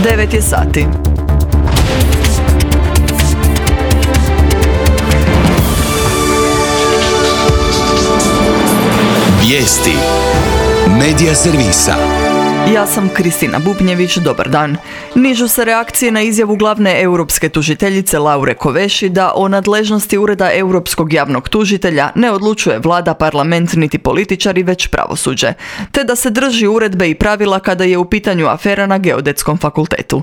9 je sati. Vijesti Medija servisa. Ja sam Kristina Bubnjević, dobar dan. Nižu se reakcije na izjavu glavne europske tužiteljice Laure Kovesi da o nadležnosti Ureda europskog javnog tužitelja ne odlučuje vlada, parlament niti političari, već pravosuđe, te da se drži uredbe i pravila kada je u pitanju afera na Geodetskom fakultetu.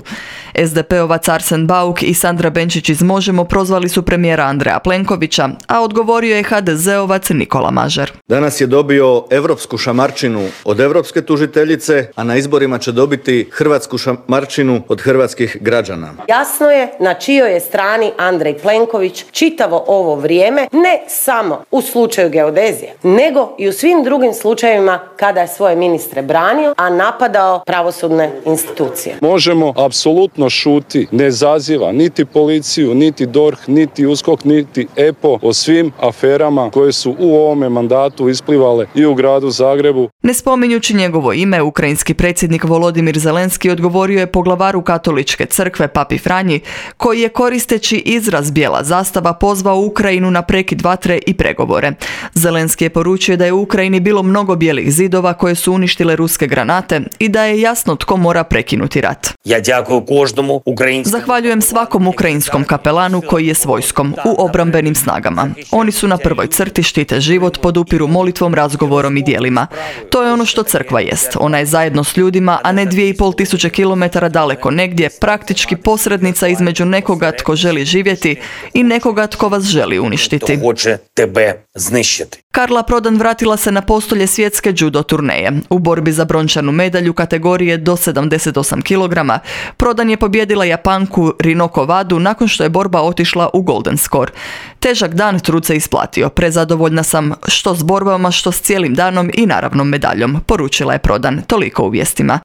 SDP-ovac Arsen Bauk i Sandra Benčić iz Možemo prozvali su premijera Andreja Plenkovića, a odgovorio je HDZ-ovac Nikola Mažar. Danas je dobio europsku šamarčinu od europske tužiteljice, a na izborima će dobiti hrvatsku šamarčinu od hrvatskih građana. Jasno je na čijoj je strani Andrej Plenković čitavo ovo vrijeme, ne samo u slučaju geodezije, nego i u svim drugim slučajevima kada je svoje ministre branio, a napadao pravosudne institucije. Možemo apsolutno šuti, ne zaziva niti policiju, niti DORH, niti USKOK, niti EPO o svim aferama koje su u ovome mandatu isplivale i u gradu Zagrebu. Ne spominjući njegovo ime, ukrajinski predsjednik Volodimir Zelenski odgovorio je poglavaru katoličke crkve Papi Franji, koji je koristeći izraz bijela zastava pozvao Ukrajinu na prekid vatre i pregovore. Zelenski je poručio da je u Ukrajini bilo mnogo bijelih zidova koje su uništile ruske granate i da je jasno tko mora prekinuti rat. Zahvaljujem svakom ukrajinskom kapelanu koji je s vojskom u obrambenim snagama. Oni su na prvoj crti, štite život, podupiru molitvom, razgovorom i djelima. To je ono što crkva jest. Ona je zajedno s ljudima, a ne 2500 km daleko negdje, praktički posrednica između nekoga tko želi živjeti i nekoga tko vas želi uništiti. Karla Prodan vratila se na postolje svjetske judo turneje. U borbi za brončanu medalju kategorije do 78 kg Prodan je pobijedila Japanku Rinoko Wadu nakon što je borba otišla u golden score. Težak dan, trud se isplatio. Prezadovoljna sam što s borbama, što s cijelim danom i naravno medaljom, poručila je Prodan. Toliko u vijestima.